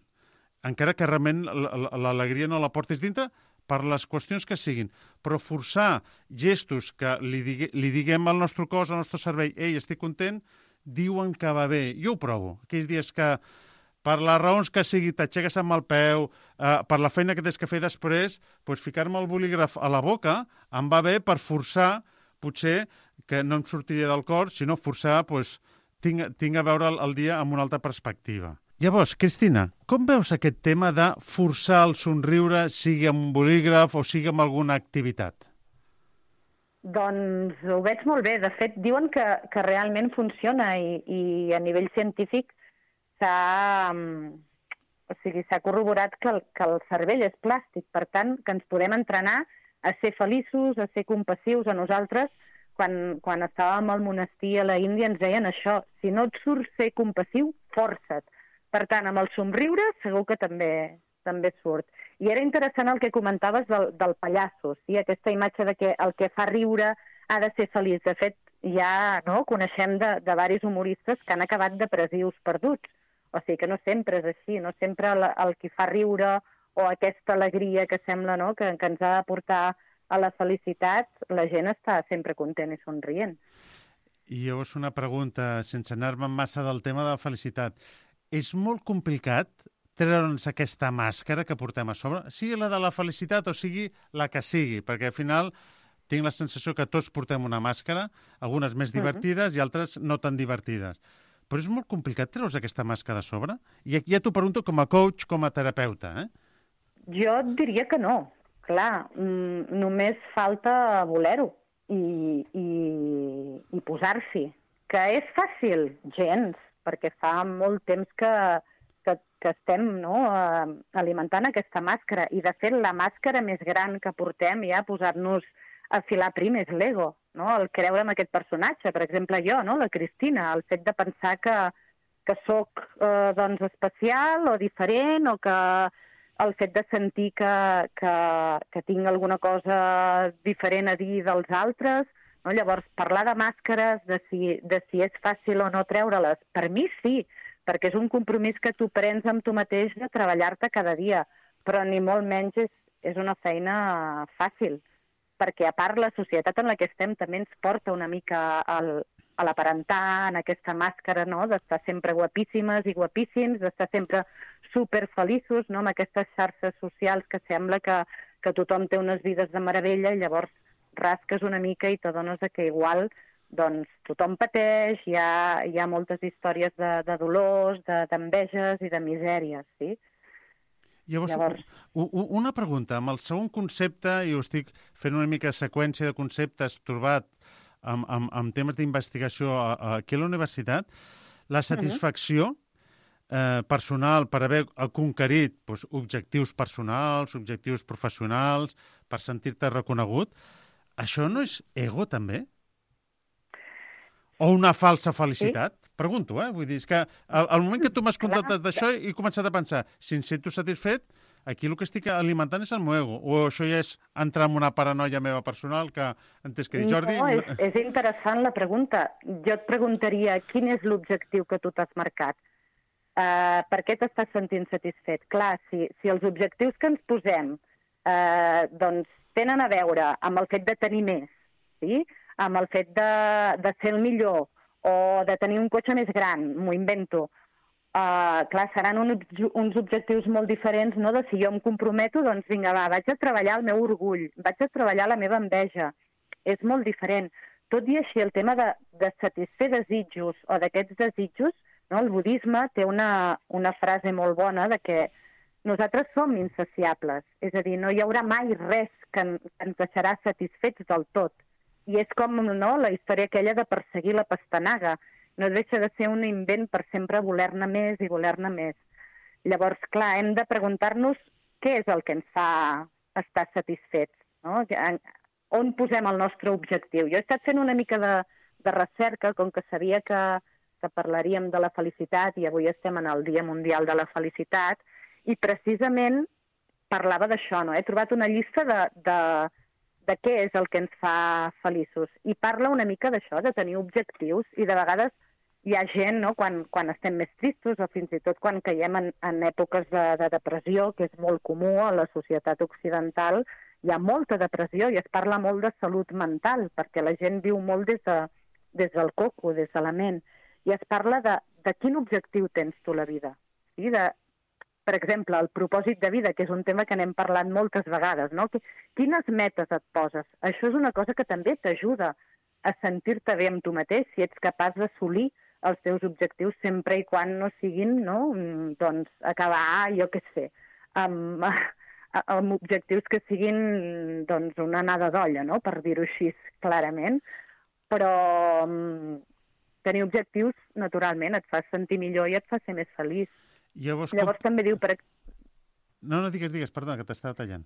Encara que realment l'alegria no la portis dintre, per les qüestions que siguin, però forçar gestos que li, digue, li diguem al nostre cos, al nostre cervell, ei, estic content, diuen que va bé. Jo ho provo. Aquells dies que, per les raons que sigui, t'aixeques amb el peu, eh, per la feina que tens que fer després, pues, ficar-me el bolígraf a la boca em va bé per forçar, potser, que no em sortiria del cor, sinó forçar, pues, tinc, tinc a veure el, el dia amb una altra perspectiva. Llavors, Cristina, com veus aquest tema de forçar el somriure, sigui amb un bolígraf o sigui amb alguna activitat? Doncs ho veig molt bé. De fet, diuen que, que realment funciona i, i a nivell científic s'ha o sigui, s'ha corroborat que el, que el cervell és plàstic. Per tant, que ens podem entrenar a ser feliços, a ser compassius a nosaltres. Quan, quan estàvem al monestir a la Índia ens deien això, si no et surt ser compassiu, força't. Per tant, amb el somriure segur que també també surt. I era interessant el que comentaves del, del pallasso, sí? Aquesta imatge de que el que fa riure ha de ser feliç. De fet, ja no, coneixem de, de diversos humoristes que han acabat depressius perduts. O sigui que no sempre és així, no sempre el, el que fa riure o aquesta alegria que sembla no, que, que ens ha de portar a la felicitat, la gent està sempre content i somrient. I llavors una pregunta, sense anar-me massa del tema de la felicitat. És molt complicat treure'ns aquesta màscara que portem a sobre, sigui la de la felicitat o sigui la que sigui, perquè al final tinc la sensació que tots portem una màscara, algunes més divertides uh-huh. i altres no tan divertides. Però és molt complicat treure's aquesta màscara de sobre? I aquí ja t'ho pregunto com a coach, com a terapeuta. Eh? Jo et diria que no. Clar, mm, només falta voler-ho i, i, i posar-s'hi. Que és fàcil? Gens, perquè fa molt temps que, que, que estem no, alimentant aquesta màscara. I, de fet, la màscara més gran que portem ja a posar-nos a filar prim és l'ego, no? El creure en aquest personatge. Per exemple, jo, no? La Cristina, el fet de pensar que, que sóc eh, doncs, especial o diferent, o que el fet de sentir que, que, que tinc alguna cosa diferent a dir dels altres. No? Llavors, parlar de màscares, de si, de si és fàcil o no treure-les, per mi sí, perquè és un compromís que tu prens amb tu mateix de treballar-te cada dia, però ni molt menys és, és una feina fàcil, perquè a part la societat en la que estem també ens porta una mica al, a l'aparentar, en aquesta màscara, no? D'estar sempre guapíssimes i guapíssims, d'estar sempre superfeliços, no? Amb aquestes xarxes socials que sembla que, que tothom té unes vides de meravella i llavors rasques una mica i t'adones que igual doncs, tothom pateix, hi ha, hi ha moltes històries de, de dolors, de, d'enveges i de misèries, sí? Llavors, Llavors, una pregunta. Amb el segon concepte, i ho estic fent una mica de seqüència de conceptes trobat amb, amb, amb temes d'investigació aquí a la universitat, la satisfacció eh, personal per haver conquerit doncs, objectius personals, objectius professionals, per sentir-te reconegut, això no és ego, també? O una falsa felicitat? Sí? Pregunto, eh? Vull dir, és que al, al moment que tu m'has contat d'això he començat a pensar, si em sento satisfet, aquí el que estic alimentant és el meu ego. O això ja és entrar en una paranoia meva personal que entès que dir, Jordi... No, és, és interessant la pregunta. Jo et preguntaria quin és l'objectiu que tu t'has marcat. Uh, per què t'estàs sentint satisfet? Clar, si, si els objectius que ens posem uh, doncs tenen a veure amb el fet de tenir més, sí? Amb el fet de, de ser el millor, o de tenir un cotxe més gran, m'ho invento. Uh, clar, seran un, uns objectius molt diferents, no?, de si jo em comprometo, doncs vinga, va, vaig a treballar el meu orgull, vaig a treballar la meva enveja. És molt diferent. Tot i així, el tema de, de satisfer desitjos o d'aquests desitjos, no?, el budisme té una, una frase molt bona de que nosaltres som insaciables, és a dir, no hi haurà mai res que, en, que ens deixarà satisfets del tot. I és com, no?, la història aquella de perseguir la pastanaga. No deixa de ser un invent per sempre voler-ne més i voler-ne més. Llavors, clar, hem de preguntar-nos què és el que ens fa estar satisfets, no? On posem el nostre objectiu? Jo he estat fent una mica de, de recerca, com que sabia que, que parlaríem de la felicitat i avui estem en el Dia Mundial de la Felicitat, i precisament parlava d'això, no? He trobat una llista de... de de què és el que ens fa feliços. I parla una mica d'això, de tenir objectius, i de vegades hi ha gent, no?, quan, quan estem més tristos o fins i tot quan caiem en, en èpoques de, de depressió, que és molt comú a la societat occidental, hi ha molta depressió i es parla molt de salut mental, perquè la gent viu molt des, de, des del coco, des de la ment, i es parla de, de quin objectiu tens tu a la vida. Sí? De, per exemple, el propòsit de vida, que és un tema que n'hem parlat moltes vegades, no? Quines metes et poses? Això és una cosa que també t'ajuda a sentir-te bé amb tu mateix, si ets capaç d'assolir els teus objectius sempre i quan no siguin, no?, doncs, acabar, jo què sé, amb, amb objectius que siguin, doncs, una anada d'olla, no?, per dir-ho així clarament. Però tenir objectius, naturalment, et fa sentir millor i et fa ser més feliç. Llavors, Llavors com... també diu... Per... No, no, digues, digues, perdona, que t'estava tallant.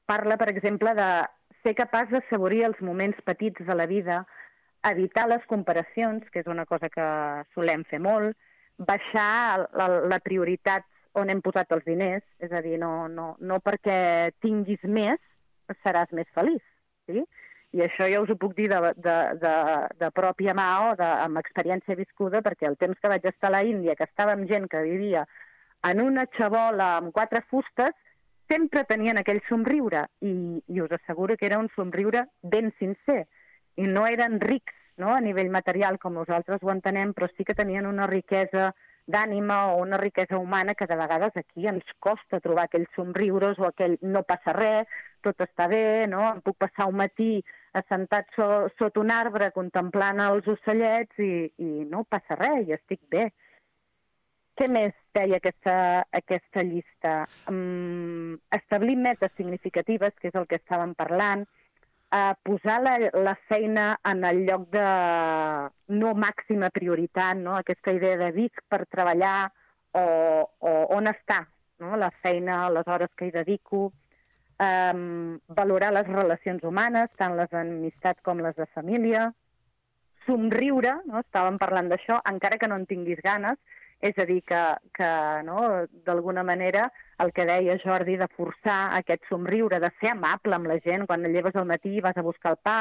Parla, per exemple, de ser capaç d'assaborir els moments petits de la vida, evitar les comparacions, que és una cosa que solem fer molt, baixar la, la prioritat on hem posat els diners, és a dir, no, no, no perquè tinguis més seràs més feliç, sí? I això ja us ho puc dir de, de, de, de pròpia mà o de, amb experiència viscuda, perquè el temps que vaig estar a la Índia, que estava amb gent que vivia en una xabola amb quatre fustes, sempre tenien aquell somriure, i, i us asseguro que era un somriure ben sincer, i no eren rics, no?, a nivell material com nosaltres ho entenem, però sí que tenien una riquesa d'ànima o una riquesa humana que de vegades aquí ens costa trobar aquells somriures o aquell no passa res, tot està bé, no?, em puc passar un matí assentat so, sota un arbre contemplant els ocellets i, i no passa res, i estic bé. Què més deia aquesta, aquesta llista? Um, establir metes significatives, que és el que estàvem parlant, uh, posar la, la feina en el lloc de no màxima prioritat, no? Aquesta idea de visc per treballar o, o on està, no? La feina, les hores que hi dedico, um, valorar les relacions humanes, tant les d'amistat com les de família, somriure, no? Estàvem parlant d'això, encara que no en tinguis ganes, és a dir, que, que no, d'alguna manera el que deia Jordi de forçar aquest somriure, de ser amable amb la gent quan et lleves al matí i vas a buscar el pa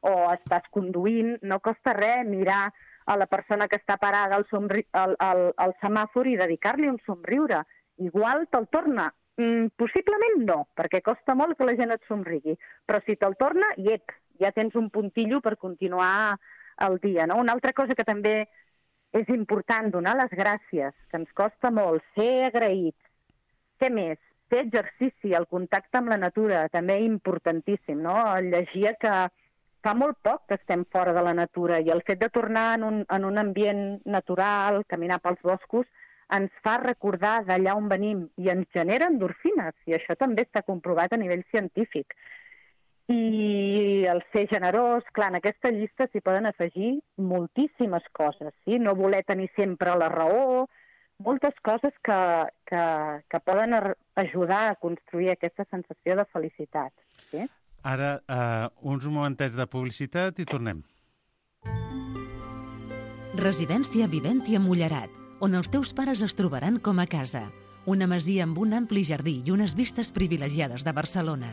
o estàs conduint, no costa res mirar a la persona que està parada al, somri... al, al, al semàfor i dedicar-li un somriure. Igual te'l torna. Mm, possiblement no, perquè costa molt que la gent et somrigui, però si te'l torna, iep, ja tens un puntillo per continuar el dia. No? Una altra cosa que també és important, donar les gràcies, que ens costa molt, ser agraïts. Què més? fer exercici, el contacte amb la natura, també importantíssim, no? Llegia que fa molt poc que estem fora de la natura i el fet de tornar en un, en un ambient natural, caminar pels boscos, ens fa recordar d'allà on venim i ens genera endorfines, i això també està comprovat a nivell científic. I el ser generós, clar, en aquesta llista s'hi poden afegir moltíssimes coses, sí? No voler tenir sempre la raó, moltes coses que, que, que poden ajudar a construir aquesta sensació de felicitat. Sí? Ara, uh, uns momentets de publicitat i tornem. Residència Viventi a Mullerat, on els teus pares es trobaran com a casa. Una masia amb un ampli jardí i unes vistes privilegiades de Barcelona.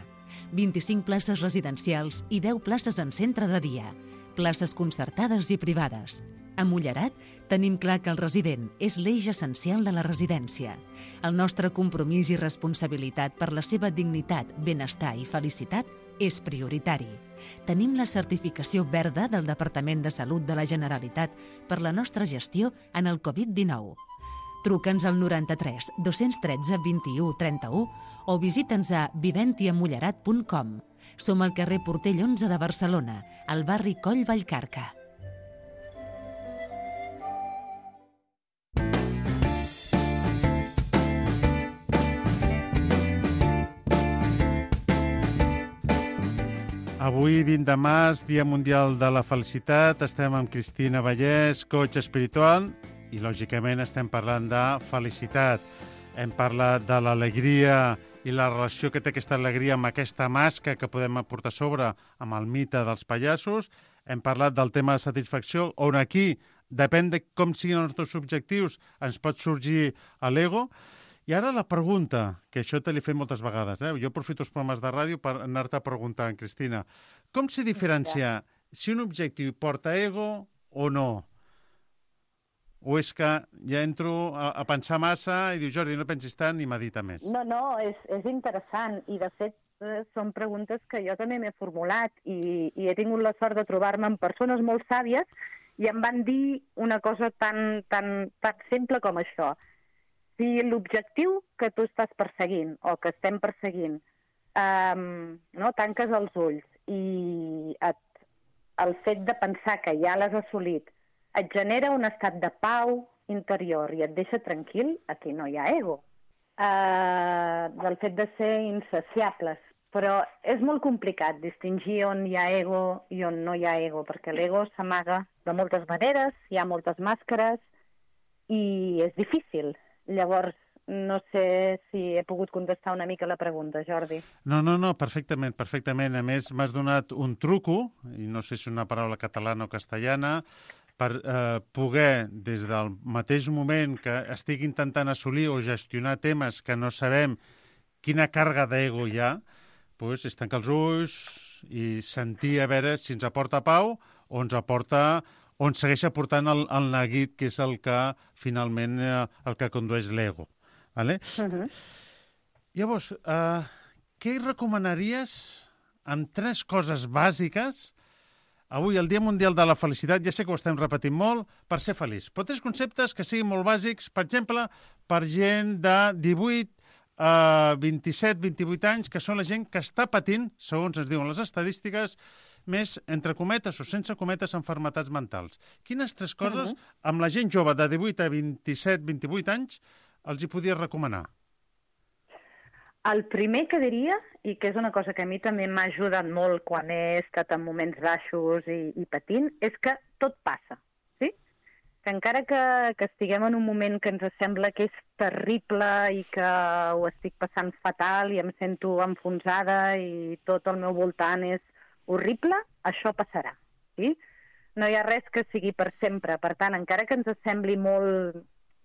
vint-i-cinc places residencials i deu places en centre de dia. Places concertades i privades. A Mullerat tenim clar que el resident és l'eix essencial de la residència. El nostre compromís i responsabilitat per la seva dignitat, benestar i felicitat és prioritari. Tenim la certificació verda del Departament de Salut de la Generalitat per la nostra gestió en el covid dinou. Truca'ns al noranta-tres dos-cents tretze vint-i-u trenta-u o visita'ns a viventiamullerat punt com. Som al carrer Portell onze de Barcelona, al barri Coll Vallcarca. Avui, vint de març, Dia Mundial de la Felicitat, estem amb Cristina Vallès, coach espiritual, i lògicament estem parlant de felicitat. Hem parlat de l'alegria i la relació que té aquesta alegria amb aquesta màscara que podem aportar sobre amb el mite dels pallassos. Hem parlat del tema de satisfacció, on aquí, depèn de com siguin els nostres objectius, ens pot sorgir l'ego. I ara la pregunta, que això te l'he fet moltes vegades, eh? Jo aprofito els programes de ràdio per anar-te preguntant, Cristina. Com se diferencia si un objectiu porta ego o no? O és que ja entro a, a pensar massa i diu, Jordi, no pensis tant i medita més? No, no, és, és interessant. I, de fet, eh, són preguntes que jo també m'he formulat i, i he tingut la sort de trobar-me amb persones molt sàvies i em van dir una cosa tan, tan, tan simple com això. Si l'objectiu que tu estàs perseguint o que estem perseguint, eh, no, tanques els ulls i et, el fet de pensar que ja l'has assolit et genera un estat de pau interior i et deixa tranquil, aquí no hi ha ego. Eh, del fet de ser insaciables. Però és molt complicat distingir on hi ha ego i on no hi ha ego, perquè l'ego s'amaga de moltes maneres, hi ha moltes màscares i és difícil. Llavors, no sé si he pogut contestar una mica la pregunta, Jordi. No, no, no, perfectament, perfectament. A més, m'has donat un truco, i no sé si és una paraula catalana o castellana, per eh, poder, des del mateix moment que estic intentant assolir o gestionar temes que no sabem quina càrrega d'ego hi ha, doncs és tancar els ulls i sentir a veure si ens aporta pau o ens aporta, o ens segueix aportant el, el neguit, que és el que finalment eh, el que condueix l'ego. Vale? Uh-huh. Llavors, eh, què recomanaries amb tres coses bàsiques avui, el Dia Mundial de la Felicitat, ja sé que ho estem repetint molt, per ser feliç. Però tres conceptes que siguin molt bàsics, per exemple, per gent de divuit a vint-i-set, vint-i-vuit anys, que són la gent que està patint, segons ens diuen les estadístiques, més, entre cometes o sense cometes, enfermetats mentals. Quines tres coses, uh-huh, amb la gent jove de divuit a vint-i-set, vint-i-vuit anys, els hi podies recomanar? El primer que diria, i que és una cosa que a mi també m'ha ajudat molt quan he estat en moments baixos i, i patint, és que tot passa, sí? Que encara que, que estiguem en un moment que ens sembla que és terrible i que ho estic passant fatal i em sento enfonsada i tot al meu voltant és horrible, això passarà, sí? No hi ha res que sigui per sempre. Per tant, encara que ens sembli molt,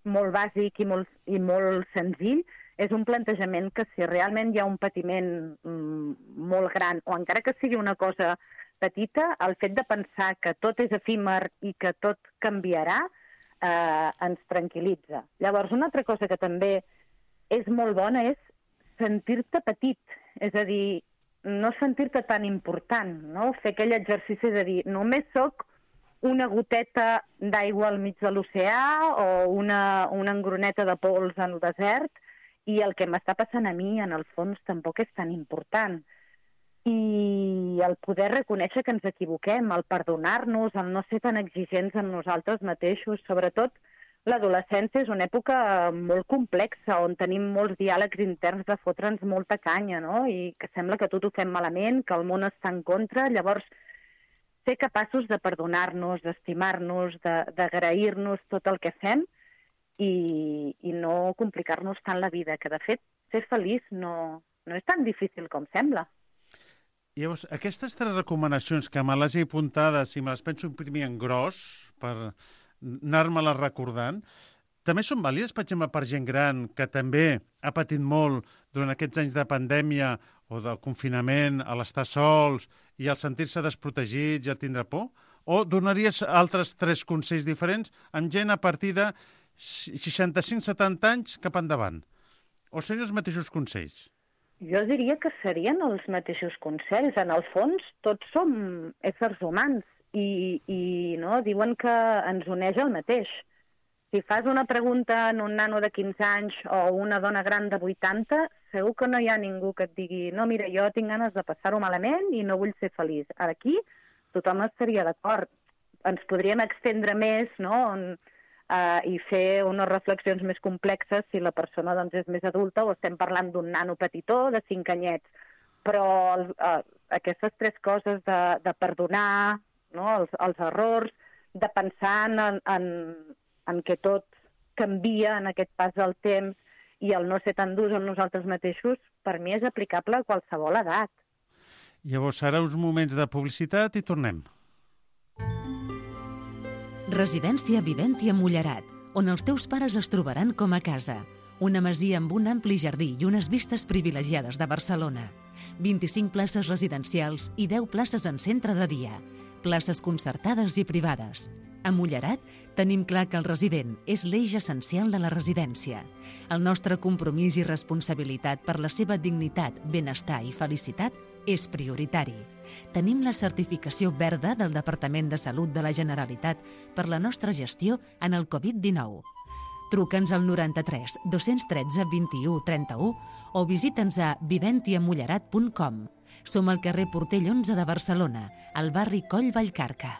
molt bàsic i molt, i molt senzill, és un plantejament que si realment hi ha un patiment mm, molt gran, o encara que sigui una cosa petita, el fet de pensar que tot és efímer i que tot canviarà eh, ens tranquil·litza. Llavors, una altra cosa que també és molt bona és sentir-te petit, és a dir, no sentir-te tan important, no? Fer aquell exercici de dir, només sóc una goteta d'aigua al mig de l'oceà o una, una engroneta de pols en el desert, i el que m'està passant a mi, en el fons, tampoc és tan important. I el poder reconèixer que ens equivoquem, el perdonar-nos, el no ser tan exigents amb nosaltres mateixos, sobretot l'adolescència és una època molt complexa, on tenim molts diàlegs interns de fotre'ns molta canya, no? I que sembla que tot ho fem malament, que el món està en contra. Llavors, ser capaços de perdonar-nos, d'estimar-nos, d'agrair-nos tot el que fem i, i no complicar-nos tant la vida, que de fet, ser feliç no, no és tan difícil com sembla. Llavors, aquestes tres recomanacions que me les he apuntades i me les penso imprimir en gros per anar-me-les recordant, també són vàlides, per exemple, per gent gran que també ha patit molt durant aquests anys de pandèmia o de confinament, a l'estar sols i al sentir-se desprotegits i al tindre por? O donaries altres tres consells diferents amb gent a partir de seixanta-cinc setanta anys cap endavant? O serien els mateixos consells? Jo diria que serien els mateixos consells. En el fons, tots som éssers humans i, i no, diuen que ens uneix el mateix. Si fas una pregunta en un nano de quinze anys o una dona gran de vuitanta, segur que no hi ha ningú que et digui no, mira, jo tinc ganes de passar-ho malament i no vull ser feliç. Aquí tothom estaria d'acord. Ens podríem extendre més, no?, on, uh, i fer unes reflexions més complexes si la persona doncs, és més adulta o estem parlant d'un nano petitó de cinc anyets. Però uh, aquestes tres coses de, de perdonar, no?, els, els errors, de pensar en, en, en què tot canvia en aquest pas del temps i el no ser tan durs amb nosaltres mateixos, per mi és aplicable a qualsevol edat. Llavors, ara uns moments de publicitat i tornem. Residència Viventi a Mullerat, on els teus pares es trobaran com a casa. Una masia amb un ampli jardí i unes vistes privilegiades de Barcelona. vint-i-cinc places residencials i deu places en centre de dia. Places concertades i privades. A Mullerat tenim clar que el resident és l'eix essencial de la residència. El nostre compromís i responsabilitat per la seva dignitat, benestar i felicitat és prioritari. Tenim la certificació verda del Departament de Salut de la Generalitat per la nostra gestió en el covid dinou. Truca'ns al noranta-tres dos-cents tretze vint-i-u trenta-u o visita'ns a viventiamullerat punt com. Som al carrer Portell onze de Barcelona, al barri Coll Vallcarca.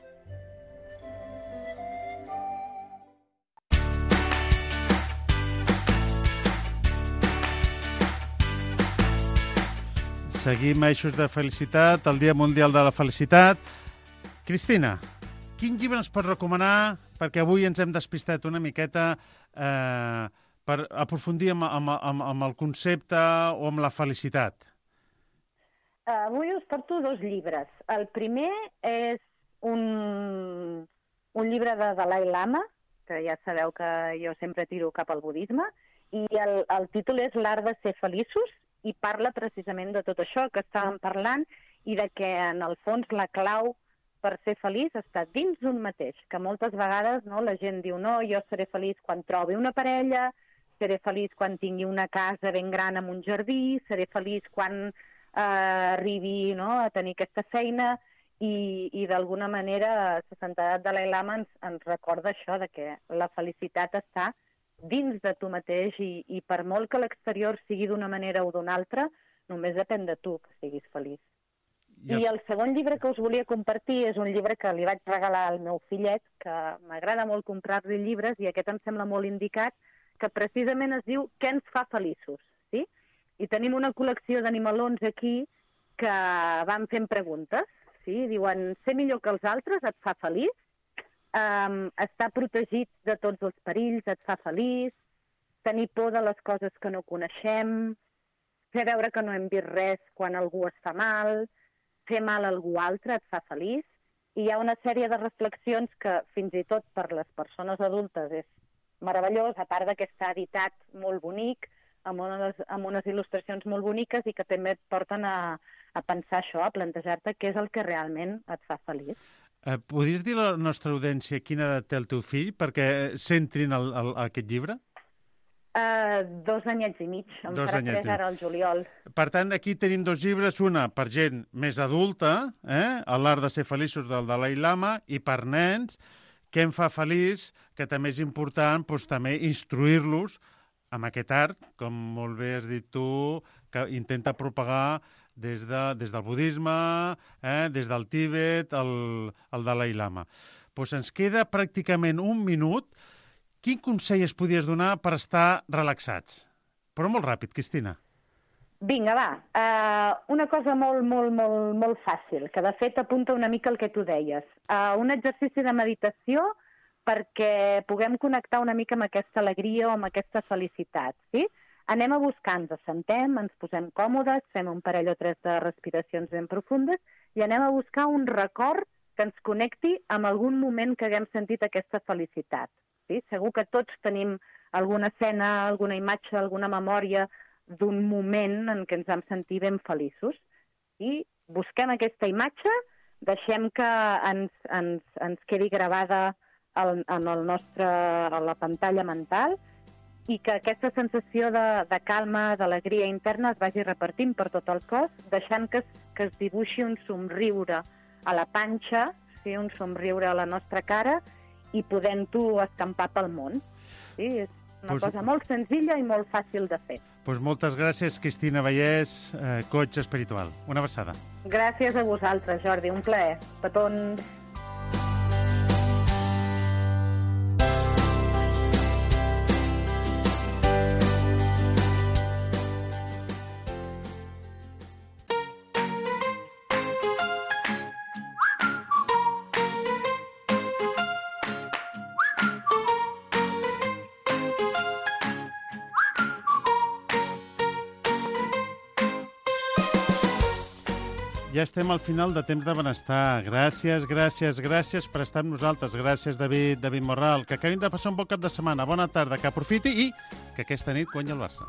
Seguim a Eixos de Felicitat, el Dia Mundial de la Felicitat. Cristina, quin llibre ens pots recomanar? Perquè avui ens hem despistat una miqueta eh, per aprofundir amb, amb, amb, amb el concepte o amb la felicitat. Avui us porto dos llibres. El primer és un, un llibre de Dalai Lama, que ja sabeu que jo sempre tiro cap al budisme, i el, el títol és L'art de ser feliços, i parla precisament de tot això que estàvem parlant i de que, en el fons, la clau per ser feliç està dins d'un mateix, que moltes vegades no, la gent diu no, jo seré feliç quan trobi una parella, seré feliç quan tingui una casa ben gran amb un jardí, seré feliç quan eh, arribi no, a tenir aquesta feina i, i d'alguna manera la santedat de Dalai Lama ens, ens recorda això, de que la felicitat està dins de tu mateix i, i per molt que l'exterior sigui d'una manera o d'una altra, només depèn de tu que siguis feliç. I, els... I el segon llibre que us volia compartir és un llibre que li vaig regalar al meu fillet, que m'agrada molt comprar-li llibres i aquest em sembla molt indicat, que precisament es diu Què ens fa feliços? Sí? I tenim una col·lecció d'animalons aquí que van fent preguntes. Sí? Diuen, ser millor que els altres et fa feliç? Um, estar protegit de tots els perills et fa feliç, tenir por de les coses que no coneixem, fer veure que no hem vist res quan algú es fa mal, fer mal a algú altre et fa feliç, i hi ha una sèrie de reflexions que fins i tot per les persones adultes és meravellós, a part que està editat molt bonic, amb unes, amb unes il·lustracions molt boniques i que també et porten a, a pensar això, a plantejar-te què és el que realment et fa feliç. Eh, podries dir a la nostra audiència quina edat té el teu fill perquè s'entrin al, al, a aquest llibre? Uh, dos anyets i mig. Em dos farà tres ara al juliol. Per tant, aquí tenim dos llibres, una per gent més adulta, eh? L'art de ser feliços del Dalai Lama, i per nens, Què em fa feliç, que també és important doncs, també instruir-los amb aquest art, com molt bé has dit tu, que intenta propagar des, de, des del budisme, eh, des del Tíbet, el, el Dalai Lama. Pues ens queda pràcticament un minut. Quin consell es podies donar per estar relaxats? Però molt ràpid, Cristina. Vinga, va. Uh, una cosa molt, molt, molt, molt fàcil, que de fet apunta una mica el que tu deies. Uh, un exercici de meditació perquè puguem connectar una mica amb aquesta alegria o amb aquesta felicitat, sí? Anem a buscar, ens assentem, ens posem còmodes, fem un parell o tres de respiracions ben profundes i anem a buscar un record que ens connecti amb algun moment que haguem sentit aquesta felicitat. Sí? Segur que tots tenim alguna escena, alguna imatge, alguna memòria d'un moment en què ens vam sentir ben feliços. I busquem aquesta imatge, deixem que ens, ens, ens quedi gravada en, en el nostre, a la pantalla mental i que aquesta sensació de, de calma, d'alegria interna es vagi repartint per tot el cos, deixant que es, que es dibuixi un somriure a la panxa, sí? Un somriure a la nostra cara i podent-ho escampar pel món. Sí? És una pues, cosa molt senzilla i molt fàcil de fer. Pues moltes gràcies, Cristina Vallès, eh, coach espiritual. Una abraçada. Gràcies a vosaltres, Jordi. Un plaer. Petons. Ja estem al final de Temps de Benestar. Gràcies, gràcies, gràcies per estar amb nosaltres. Gràcies, David, David Morral. Que acabin de passar un bon cap de setmana. Bona tarda, que aprofiti i que aquesta nit guanyi el Barça.